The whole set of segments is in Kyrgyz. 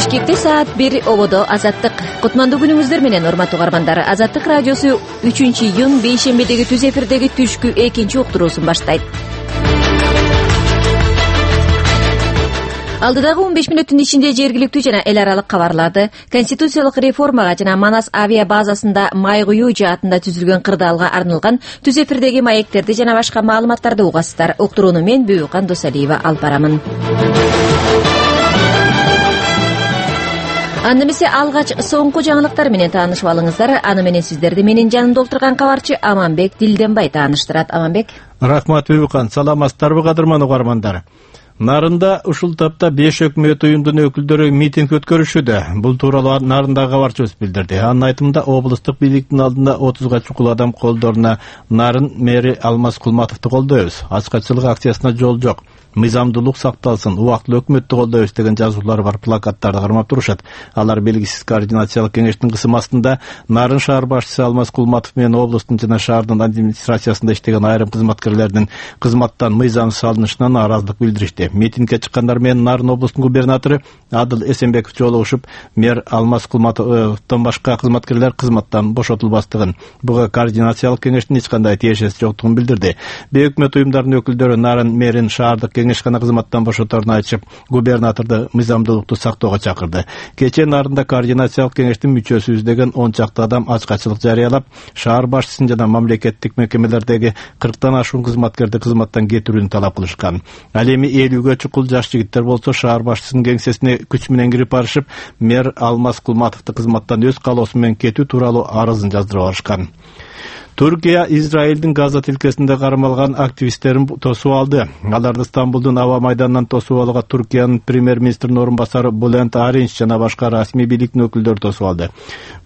Бишкекте саат 1 ободо Азаттык. Кутмандуу күнүңүздөр менен урматтуу угармандар. Азаттык радиосу 3-июнь бейшембедеги түз эфирдеги түшкү 2 уктуруусун баштайт. Алдыдагы 15 мүнөттүн ичинде жергиликтүү жана эл аралык кабарларды, конституциялык реформага жана Манас авиа базасында май куюу жаатында түзүлгөн кырдаалга арналган түз эфирдеги маектерди жана башка маалыматтарды угасыздар. Уктурууну мен Бүбүкан Досалиева алып барамын. Анда эмесе алгач соңку жаңылыктар менен таанышып алыңыздар. Аны менен сиздерди менин жанымда отурган кабарчы Аманбек Дилденбай тааныштырат. Аманбек. Рахмат Бүбүкан. Саламатсыздарбы кадырман угармандар? Нарында ушул тапта 5 өкмөт уюмдун өкүлдөрү митинг өткөрүшүүдө. Бул тууралуу Нарындагы кабарчыбыз билдирди. Анын айтымында облустук бийликтин алдында 30га чукул адам колдоруна Нарын мэри Алмаз Кулматовду колдойбуз. Ачкачылык акциясына жол жок. Мыйзамдуулук сакталсын, убактылуу өкмөттү колдойбуз деген жазуулар бар плакаттарды кармап турушат. Алар белгисиз координациялык кеңештин кысым астында Нарын шаар башчысы Алмаз Кулматов менен облустун жана шаардын администрациясында иштеген айрым кызматкерлердин кызматтан мыйзамсыз алынышынан нааразылык билдиришти. Митингге чыккандар менен Нарын облустунун губернатору Адыл Эсенбеков жолугушуп, мэр Алмаз Кулматовдон башка кызматкерлер кызматтан бошотулбастыгын, буга координациялык кеңештин эч кандай тиешеси жоктугун билдирди. Бейөкмөт уюмдарынын өкүлдөрү Нарын мэрин шаардык кеңешкана кызматтан бошоторун айтышып, губернаторду мыйзамдуулукту сактоого чакырды. Кечээ Нарында координациялык кеңештин мүчөсүбүз деген 10 чакты адам ачкачылык жарыялап, шаар башчысын жана мамлекеттик мекемелердеги 40тан ашуун кызматкерди кызматтан кетирүүнү талап кылышкан. Ал эми 50ге чукул жаш жигиттер болсо шаар башчысынын кеңсесине күч менен кирип барышып, мэр Алмаз Кулматовду кызматтан өз каалоосу менен кетүү тууралуу арызын жаздырып барышкан. Түркия Израилдин Газа тилкесинде кармалган активисттерин тосуп алды. Аларды Стамбулдун аба майданынан тосуп алууга Түркиянын премьер-министринин орун басары Булент Аринч жана башка расмий бийликтин өкүлдөрү тосуп алды.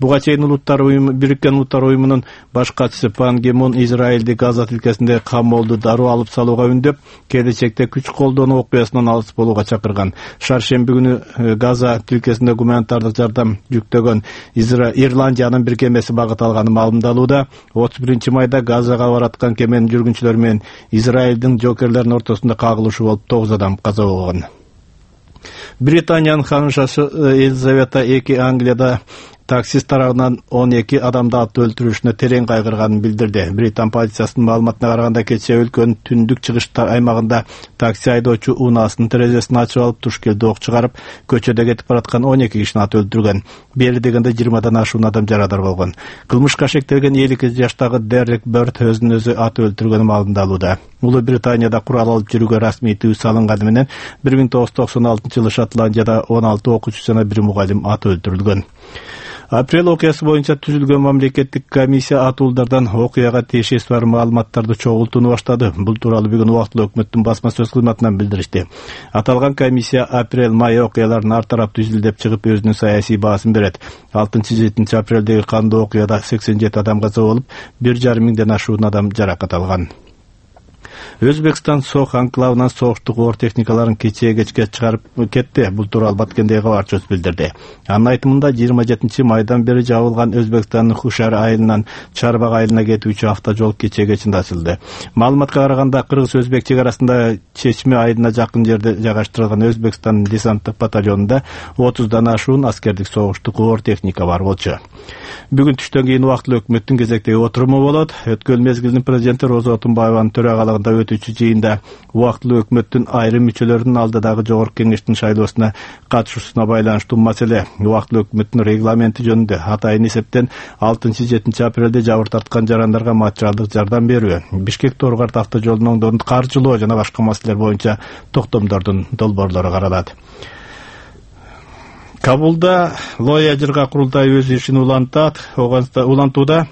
Буга чейин Бириккен Улуттар уюмунун баш катчысы Пан Ги Мун Израилди Газа тилкесинде камолду дароо алып салууга үндөп, келечекте күч колдонуу окуясынан алыс болууга чакырган. Шаршемби күнү Газа тилкесинде гуманитардык жардам жүктөгөн Ирландиянын бир кемеси багыт алганы маалымдалууда. 1 майда Газага бараткан кеменин жүргүнчүлөрү менен Израилдин жокерлеринин ортосунда кагылышуу болуп 9 адам каза болгон. Британиянын ханышасы Елизавета II Англияда таксист тарабынан 12 адамды атып өлтүрүшүнө терең кайгырганын билдирди. Британ полициясынын маалыматына караганда кечээ өлкөнүн түндүк чыгыш аймагында такси айдоочу унаасынын терезесин ачып алып туш келди ок чыгарып, көчөдө кетип бараткан 12 кишини атып өлтүргөн. Бери дегенде 20дан ашуун адам жарадар болгон. Кылмышка шектелген 52 жаштагы Дерек Бёрд өзүн өзү атып өлтүргөнү маалымдалууда. Улуу Британияда курал алып жүрүүгө расмий тыюу салынганы менен 1996-жылы Шотландияда 16 окуучу жана 1 мугалим атып өлтүрүлгөн. Апрель окуясы боюнча түзүлгөн мамлекеттик комиссия атуулдардан окуяга тиешеси бар маалыматтарды чогултууну баштады. Бул тууралуу бүгүн убактылуу өкмөттүн басма сөз кызматынан билдиришти. Аталган комиссия апрель-май окуяларын ар тараптуу изилдеп чыгып, өзүнүн саясий баасын берет. 6-7 апрелдеги кандуу окуяда 87 адам каза болуп, 1,5 миңден ашуун адам жаракат алган. Өзбекстан Сох анклавынан согуштук оор техникаларын кечээ кечке чыгарып кетти. Бул тууралуу Баткендеги кабарчыбыз билдирди. Анын айтымында 27 майдан бери жабылган Өзбекстандын Хушар айылынан Чарбак айылына кетүүчү автожол кечээ кечинде ачылды. Маалыматка караганда кыргыз-өзбек чек арасында Чечме айылына жакын жерде жайгаштырылган Өзбекстандын десанттык батальонунда 30дан ашуун аскердик согуштук оор техника бар болчу. Бүгүн түштөн кийин убактылуу өкмөттүн кезектеги отуруму болот. Өткөн мезгилдин президенти Роза Отунбаеванын төрагалыгында өтүүчү жыйында убактылуу өкмөттүн айрым мүчөлөрүнүн алдыдагы жогорку кеңештин шайлоосуна катышуусуна байланыштуу маселе убактылуу өкмөттүн регламенти жөнүндө атайын эсептен 6-7 апрелде жабыр тарткан жарандарга материалдык жардам берүү, Бишкек Торгарт автожолунун оңдоорун каржылоо жана башка маселелер боюнча токтомдордун долбоорлору каралат. Кабулда Лоя Жырга курултайы өз ишин улантууда.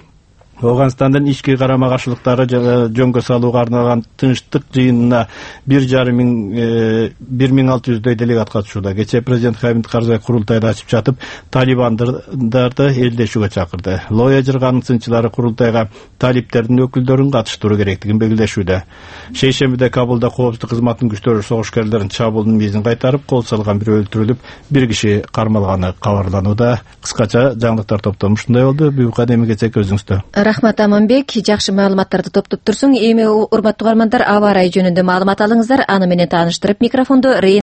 Оганстандын ички карама-каршылыктары жөнгө салууга арналган тынчтык жыйынына 1600дөй делегат катышууда. Кечээ президент Хамид Карзай курултайды ачып жатып, талибандарды элдешүүгө чакырды. Лоя Жырганын сынчылары курултайга талиптердин өкүлдөрүн катыштыруу керектигин белгилешүүдө. Шейшембиде Кабулда коопсуздук кызматынын күчтөрү согушкерлердин чабуулунун мизин кайтарып, кол салган бирөө өлтүрүлүп, 1 киши кармалганы кабарланууда. Кыскача жаңылыктар топтому ушундай болду. Бүбүкан эми кетсек өзүңүздө. Рахмат Аманбек, жакшы маалыматтарды топтоп турсуң. Эми урматтуу угармандар, аба ырайы жөнүндө маалымат алыңыздар. Аны менен тааныштырып микрофондо